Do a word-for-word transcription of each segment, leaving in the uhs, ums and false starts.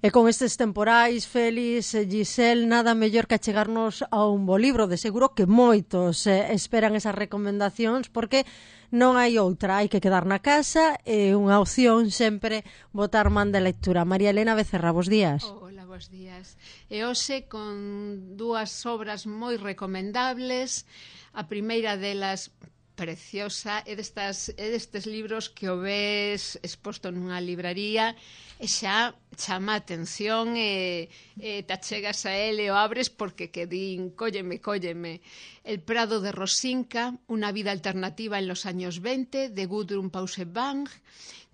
E con estes temporais, Félix, Giselle, nada mellor que achegarnos a un bo libro. De seguro que moitos eh, esperan esas recomendacións porque non hai outra, hai que quedar na casa e unha opción sempre botar man de lectura. María Elena Becerra, bos días. Oh, hola, bos días. E hoxe con dúas obras moi recomendables. A primeira delas, preciosa, é destas, é destes libros que o ves exposto nunha libraría e xa chama a atención e, e te achegas a ele e o abres porque que din, cólleme, cólleme. El Prado de Rosinka, unha vida alternativa en los años veinte, de Gudrun Pausebang,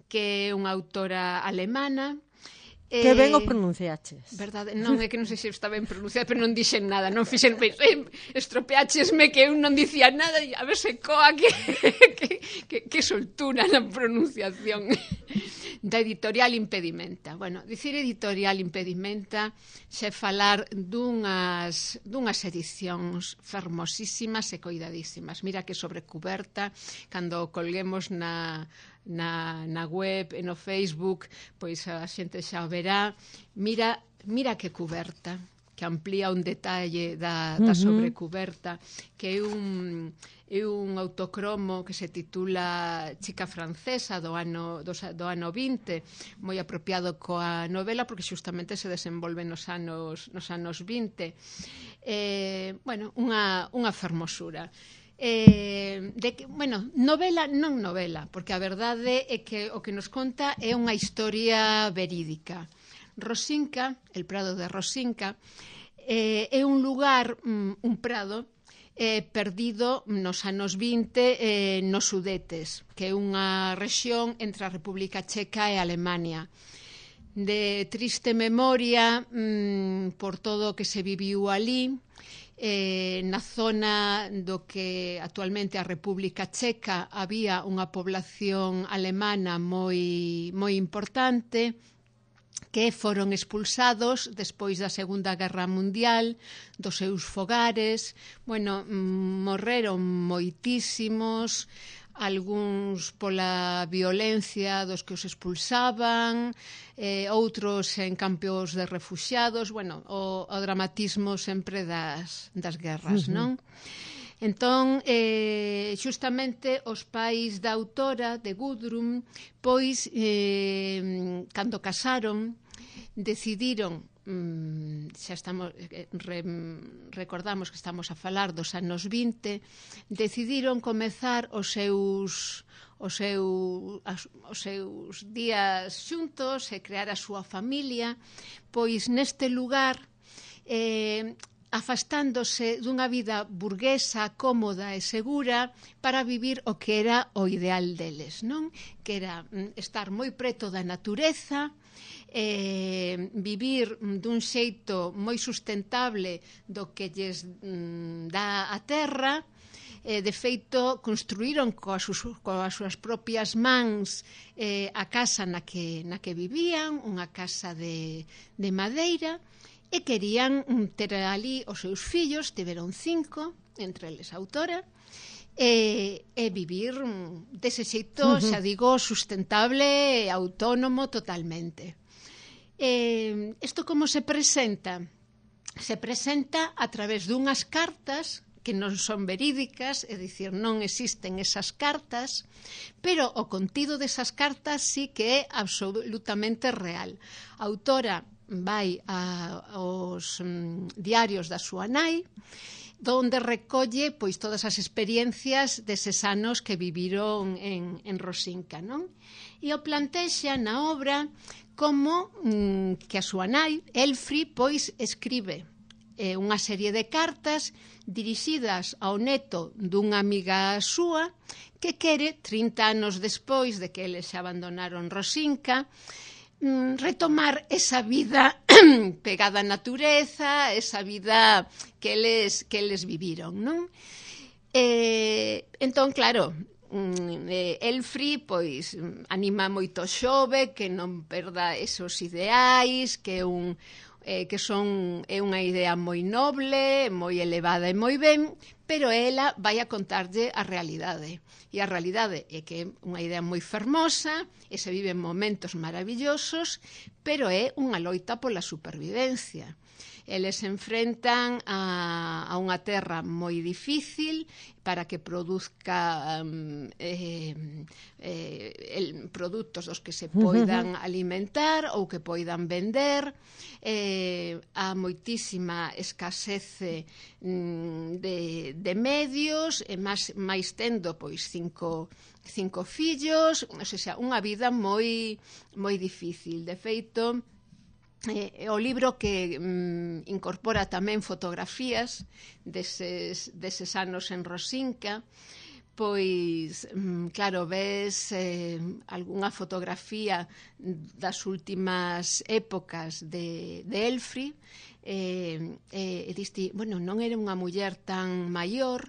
que é unha autora alemana. Que ben o pronunciaches. Verdade, non é que non sei se está ben pronunciado, pero non dixen nada, non fixen, pensei, estropeáchesme que eu non dicía nada e a ver se coa que, que, que, que soltura na pronunciación. Da editorial Impedimenta. Bueno, dicir editorial Impedimenta xe falar dunhas, dunhas edicións fermosísimas e coidadísimas. Mira que sobrecuberta, cando colguemos na... Na, na web e no Facebook, pois a xente xa o verá. Mira, mira que cuberta, que amplía un detalle da, da sobrecuberta, que é un, é un autocromo que se titula Chica Francesa do ano, do, do ano vinte, moi apropiado coa novela porque xustamente se desenvolve nos anos, nos anos vinte. Eh, bueno, unha, unha fermosura. Eh, de que, bueno, novela, non novela, porque a verdade é que o que nos conta é unha historia verídica. Rosinka, el Prado de Rosinka, eh, é un lugar, un prado, eh, perdido nos anos vinte eh, nos Sudetes, que é unha rexión entre a República Checa e Alemania. De triste memoria mm, por todo o que se viviu ali, Eh, na zona do que actualmente a República Checa había unha población alemana moi, moi importante que foron expulsados despois da Segunda Guerra Mundial dos seus fogares. Bueno, morreron moitísimos, algúns pola violencia dos que os expulsaban, eh, outros en campos de refuxiados, bueno, o, o dramatismo sempre das, das guerras, uh-huh. non? Entón, eh, xustamente os pais da autora, de Gudrun, pois, eh, cando casaron, decidiron, xa estamos, re, recordamos que estamos a falar dos anos vinte, decidiron comezar os seus os seus, os seus días xuntos e crear a súa familia, pois neste lugar, eh, afastándose dunha vida burguesa, cómoda e segura para vivir o que era o ideal deles, non? Que era estar moi preto da natureza, Eh, vivir dun xeito moi sustentable do que lles mm, dá a terra. Eh, de feito, construíron coas, coas súas propias mans eh, a casa na que, na que vivían, unha casa de, de madeira, e querían ter ali os seus fillos, tiveron cinco, entre eles a autora, e, e vivir dese xeito, xa digo, sustentable e autónomo totalmente. Eh, isto como se presenta? Se presenta a través dunhas cartas que non son verídicas, é dicir, non existen esas cartas, pero o contido desas cartas sí que é absolutamente real. A autora vai a, aos um, diarios da súa nai, donde recolle pois todas as experiencias deses anos que viviron en, en Rosinka, non? E o plantexa na obra como mm, que a súa nai, Elfri, pois escribe eh, unha serie de cartas dirixidas ao neto dunha amiga súa que quere, trinta anos despois de que eles se abandonaron Rosinka, mm, retomar esa vida pegada á natureza, esa vida que eles, que eles viviron, non? Eh, entón, claro, Elfri pois anima moito xove que non perda esos ideais, que é un, eh, que son é unha idea moi noble, moi elevada e moi ben, pero ela vai a contarlle a realidade. E a realidade é que é unha idea moi fermosa, e se viven momentos maravillosos, pero é unha loita pola supervivencia. Eles se enfrentan a, a unha terra moi difícil para que produzca um, eh, eh, el, produtos dos que se poidan alimentar ou que poidan vender. Eh, a moitísima escasece mm, de, de medios, e máis, máis tendo pois cinco, cinco fillos, ou seja, unha vida moi, moi difícil. De feito, Eh, o libro que mm, incorpora tamén fotografías deses, deses anos en Rosinca, pois, mm, claro, ves eh, algunha fotografía das últimas épocas de, de Elfri, eh, eh, e diste, bueno, non era unha muller tan maior,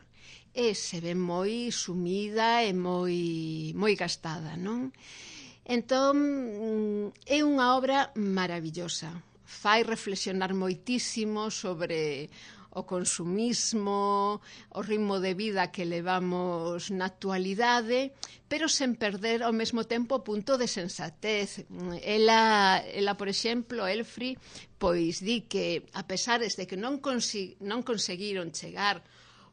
e se ve moi sumida e moi, moi gastada, non? Entón, é unha obra maravillosa. Fai reflexionar moitísimo sobre o consumismo, o ritmo de vida que levamos na actualidade, pero sen perder ao mesmo tempo o punto de sensatez. Ela, ela por exemplo, Elfri, pois di que, a pesar de que non, consi- non conseguiron chegar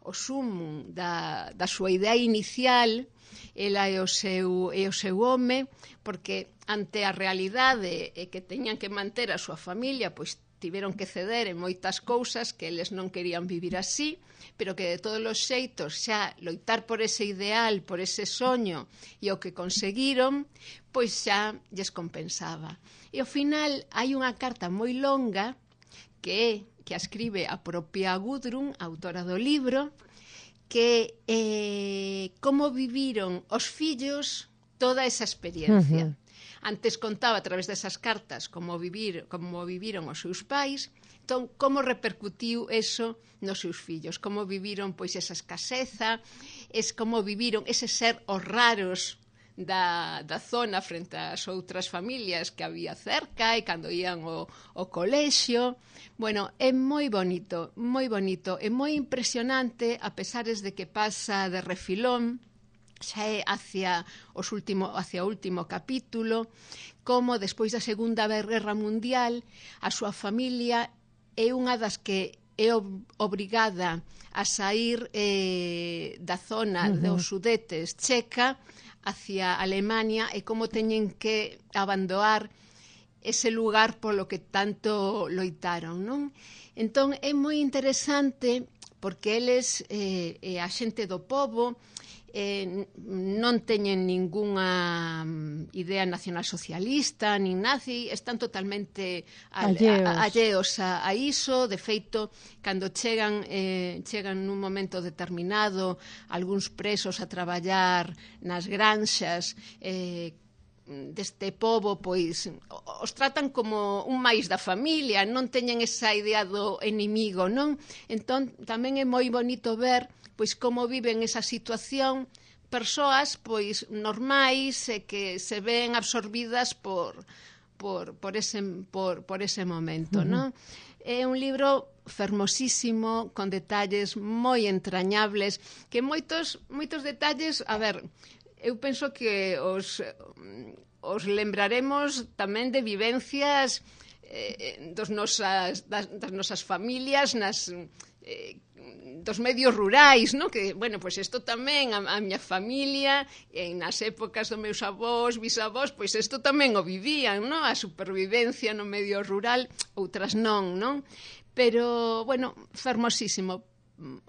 ao sumo da, da súa idea inicial, ela e o seu, e o seu home, porque ante a realidade e que teñan que manter a súa familia, pois tiveron que ceder en moitas cousas que eles non querían vivir así, pero que de todos os xeitos xa loitar por ese ideal, por ese soño e o que conseguiron, pois xa lles compensaba. E ao final hai unha carta moi longa que é que a escribe a propia Gudrun, autora do libro, que eh, como viviron os fillos toda esa experiencia. Uh-huh. Antes contaba a través desas cartas como vivir, como viviron os seus pais, entón como repercutiu eso nos seus fillos, como viviron pois esa escaseza, es como viviron ese ser os raros da, da zona frente ás outras familias que había cerca e cando ían ao, ao colexio. Bueno, é moi bonito, moi bonito, é moi impresionante, a pesares de que pasa de refilón, xa é hacia, os último, hacia o último capítulo, como despois da Segunda Guerra Mundial a súa familia é unha das que é obrigada a sair eh, da zona uh-huh. dos Sudetes checa hacia Alemania, e como teñen que abandonar ese lugar polo que tanto loitaron, non? Entón é moi interesante porque eles, eh, eh, a xente do pobo, eh, non teñen ningunha idea nacionalsocialista nin nazi, están totalmente alleos, a, a, alleos a, a iso. De feito, cando chegan eh, chegan nun momento determinado algúns presos a traballar nas granxas eh, deste pobo, pois os tratan como un máis da familia, non teñen esa idea do enemigo, non? Entón tamén é moi bonito ver pois como viven esa situación persoas pois normais e que se ven absorbidas por por por ese por por ese momento, uh-huh. non? É un libro fermosísimo, con detalles moi entrañables, que moitos moitos detalles, a ver, eu penso que os, os lembraremos tamén de vivencias eh, dos nosas, das, das nosas familias, nas, eh, dos medios rurais, no? Que, bueno, pois isto tamén, a, a miña familia, en nas épocas dos meus avós, bisavós, pois isto tamén o vivían, no? A supervivencia no medio rural, outras non, non? Pero, bueno, fermosísimo.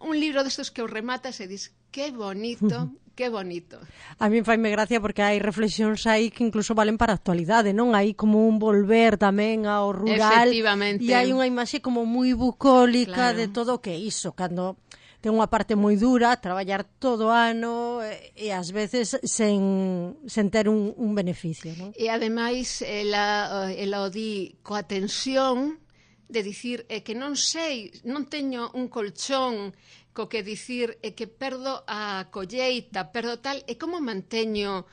Un libro destos que o rematas e dis, que bonito, que bonito. A mí faime gracia porque hai reflexións aí que incluso valen para a actualidade, non? Hai como un volver tamén ao rural. Efectivamente. E hai unha imaxe como moi bucólica, claro, de todo o que iso, cando ten unha parte moi dura, traballar todo o ano e, e ás veces sen, sen ter un, un beneficio, non? E ademais, ela, ela o di coa tensión de dicir é que non sei, non teño un colchón co que dicir é que perdo a colleita, perdo tal, e como manteño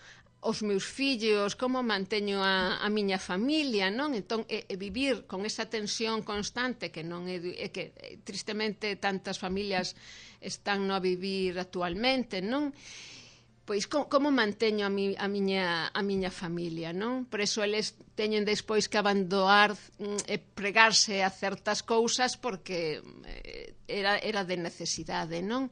os meus fillos, como manteño a, a miña familia, non? Entón, e, e vivir con esa tensión constante que non é, é que tristemente tantas familias están no a vivir actualmente, non? Pois como, como manteño a, mi, a, miña, a miña familia, non? Por eso eles teñen despois que abandonar e pregarse a certas cousas porque era, era de necesidade, non?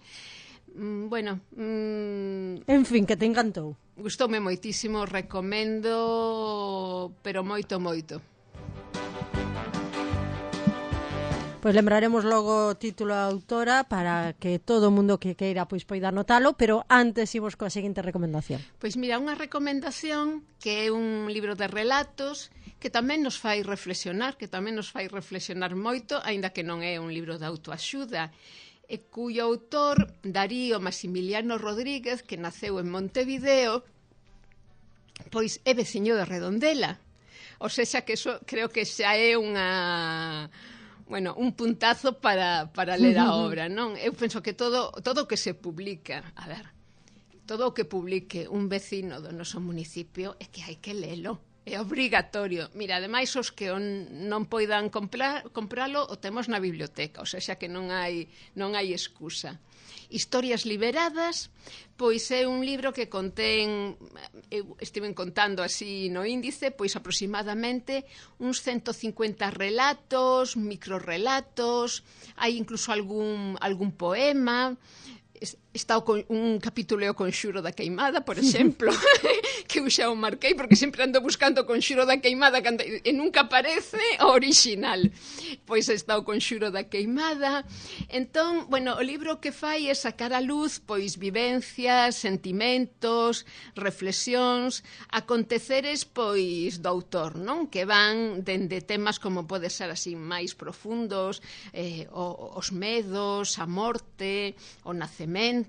Mm, bueno... Mm, en fin, que te encantou. Gustoume moitísimo, recomendo, pero moito, moito. Pois lembraremos logo o título da autora para que todo o mundo que queira pois poida anotalo, pero antes imos coa seguinte recomendación. Pois mira, unha recomendación que é un libro de relatos que tamén nos fai reflexionar, que tamén nos fai reflexionar moito, aínda que non é un libro de autoaxuda, e cuyo autor, Darío Maximiliano Rodríguez, que naceu en Montevideo, pois é veciño de Redondela. O sexa que eso creo que xa é unha... bueno, un puntazo para, para ler a obra, non? Eu penso que todo todo o que se publica, a ver, todo o que publique un vecino do noso municipio é que hai que lelo. É obrigatorio. Mira, ademais, os que on, non poidan comprar, compralo o temos na biblioteca, ou seja, que non hai, non hai excusa. Historias liberadas, pois é un libro que contén, eu estive contando así no índice, pois aproximadamente uns ciento cincuenta relatos, microrelatos, hai incluso algún, algún poema. Está o con, un capítulo o Conxuro da Queimada, por exemplo, que eu xa o marquei porque sempre ando buscando o Conxuro da Queimada cando, e nunca aparece o original. Pois está o Conxuro da Queimada. Entón, bueno, o libro que fai é sacar a luz pois vivencias, sentimentos, reflexións, aconteceres pois do autor, non? Que van dende temas como pode ser así máis profundos, eh, o, os medos, a morte, o nacemento,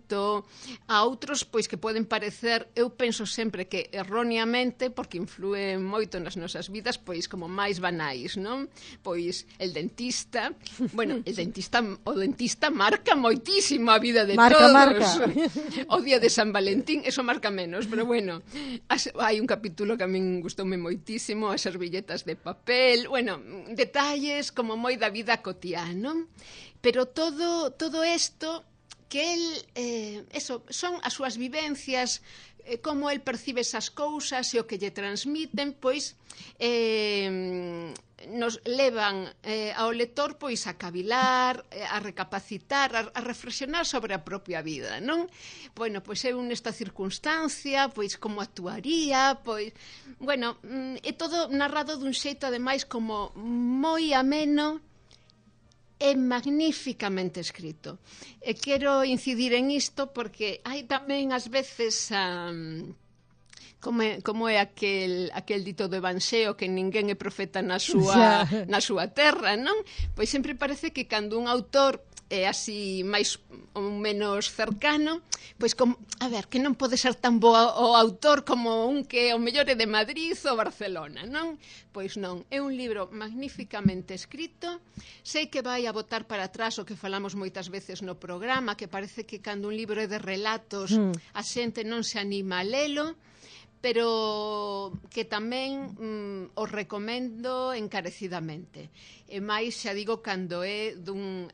a outros pois que poden parecer, eu penso sempre que erróneamente, porque influen moito nas nosas vidas, pois como máis banais, non? Pois el dentista, bueno, el dentista, o dentista marca moitísimo a vida de marca, todos. Marca. O día de San Valentín, eso marca menos, pero bueno, as, hai un capítulo que a min gustoume moitísimo, as servilletas de papel, bueno, detalles como moi da vida cotiá, non? Pero todo todo isto que el, eh, eso, son as súas vivencias, eh, como el percibe esas cousas e o que lle transmiten, pois eh, nos levan eh, ao lector pois a cavilar, a recapacitar, a, a reflexionar sobre a propia vida, non? Bueno, pois eu nesta circunstancia, pois como actuaría, pois, bueno, é todo narrado dun xeito ademais como moi ameno, é magníficamente escrito. E quero incidir en isto porque hai tamén ás veces um, como é, como é aquel, aquel dito do Evanxeo que ninguén é profeta na súa, na súa terra, non? Pois sempre parece que cando un autor é así máis ou menos cercano, pois como, a ver, que non pode ser tan bo o autor como un que o mellor é de Madrid ou Barcelona, non? Pois non, é un libro magníficamente escrito, sei que vai a botar para atrás o que falamos moitas veces no programa, que parece que cando un libro é de relatos mm. a xente non se anima a lelo, pero que tamén mm, os recomendo encarecidamente. E máis, xa digo, cando é dun...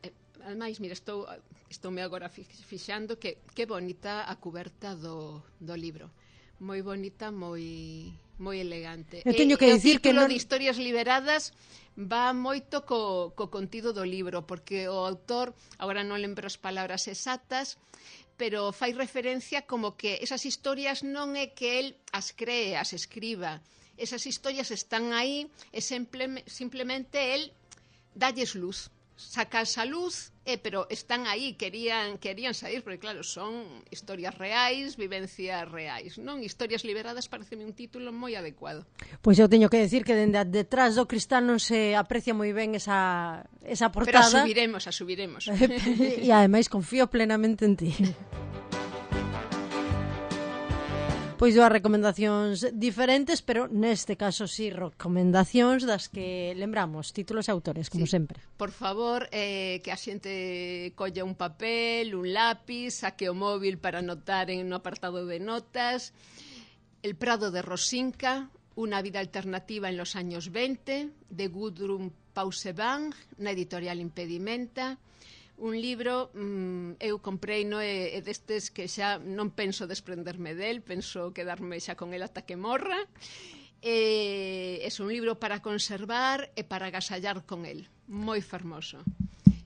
Ademais, mira, estou, estoume agora fixando que que bonita a cuberta do, do libro. Moi bonita, moi moi elegante. Eu teño que e, dicir que non... de Historias Liberadas va moito co, co contido do libro, porque o autor, agora non lembro as palabras exactas, pero fai referencia como que esas historias non é que el as cree, as escriba. Esas historias están aí e simple, simplemente el dalles luz. Sacas a luz, eh, pero están aí, querían querían sair, porque claro, son historias reais, vivencias reais, non? Historias Liberadas pareceme un título moi adecuado. Pois eu teño que decir que dende detrás do cristal non se aprecia moi ben esa, esa portada. Pero a subiremos, a subiremos. E ademais confío plenamente en ti. Pois dúas recomendacións diferentes, pero neste caso sí, recomendacións das que lembramos, títulos e autores, como sí, sempre. Por favor, eh, que a xente colla un papel, un lápiz, saque o móvil para anotar en no apartado de notas, El Prado de Rosinka, una vida alternativa en los años veinte, de Gudrun Pausevang, na editorial Impedimenta. Un libro, mmm, eu comprei no é, é destes que xa non penso desprenderme del, penso quedarme xa con el ata que morra. É, é un libro para conservar e para agasallar con el, moi fermoso.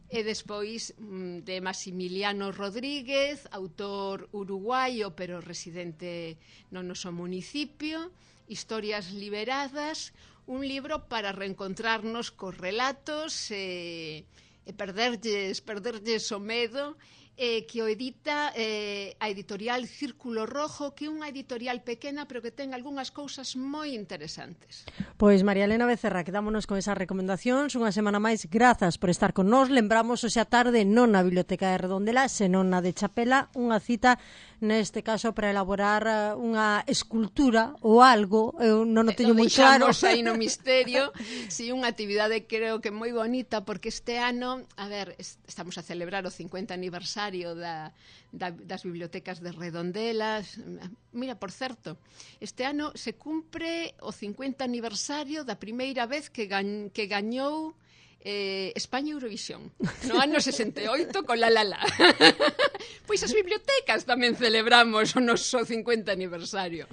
E despois de Maximiliano Rodríguez, autor uruguaio pero residente no noso municipio, Historias liberadas, un libro para reencontrarnos cos relatos e, e perderlles, perderlles o medo, eh, que o edita eh, a editorial Círculo Rojo, que é unha editorial pequena pero que ten algunhas cousas moi interesantes. Pois María Elena Becerra, quedámonos con esas recomendacións. Unha semana máis, grazas por estar con nós. Lembramos hoxe a tarde non na Biblioteca de Redondela, senón na de Chapela, unha cita neste caso para elaborar unha escultura ou algo, eu non o teño moi claro. Deixamos aí no misterio. Si, sí, unha actividade creo que moi bonita, porque este ano, a ver, estamos a celebrar o cincuenta aniversario da, da, das bibliotecas de Redondelas. Mira, por certo, este ano se cumpre o cincuenta aniversario da primeira vez que, gan, que gañou Eh, España Eurovisión no ano sesenta e oito con La La La. Pois as bibliotecas tamén celebramos o noso cincuenta aniversario.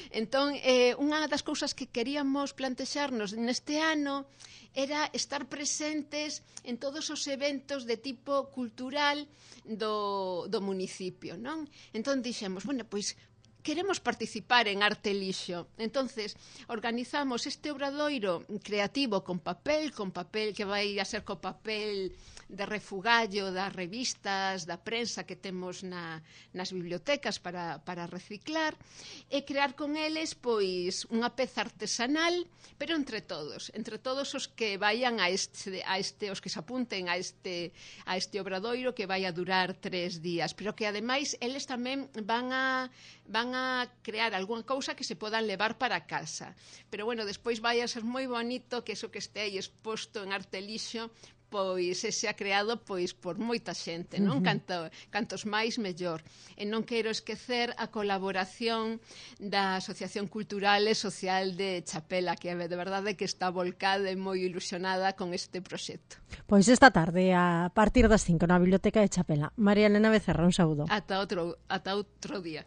Entón, eh, unha das cousas que queríamos plantexarnos neste ano era estar presentes en todos os eventos de tipo cultural do, do municipio, non? Entón dixemos, bueno, pois queremos participar en Arte Lixo. Entonces, organizamos este obradoiro creativo con papel, con papel que vai a ser co papel de refugallo das revistas, da prensa que temos na, nas bibliotecas para, para reciclar, e crear con eles pois unha peza artesanal, pero entre todos, entre todos os que vayan a este, a este os que se apunten a este, a este obradoiro que vai a durar tres días, pero que ademais eles tamén van a van a crear algunha cousa que se podan levar para casa. Pero bueno, despois vai a ser moi bonito que eso que este aí exposto en Arte Lixo pois ese ha creado pois por moita xente, non? Uh-huh. Canto, cantos máis mellor. E non quero esquecer a colaboración da Asociación Cultural e Social de Chapela, que de verdade que está volcada e moi ilusionada con este proxecto. Pois esta tarde, a partir das cinco na Biblioteca de Chapela. María Elena Becerra, un saúdo. Ata outro, ata outro día.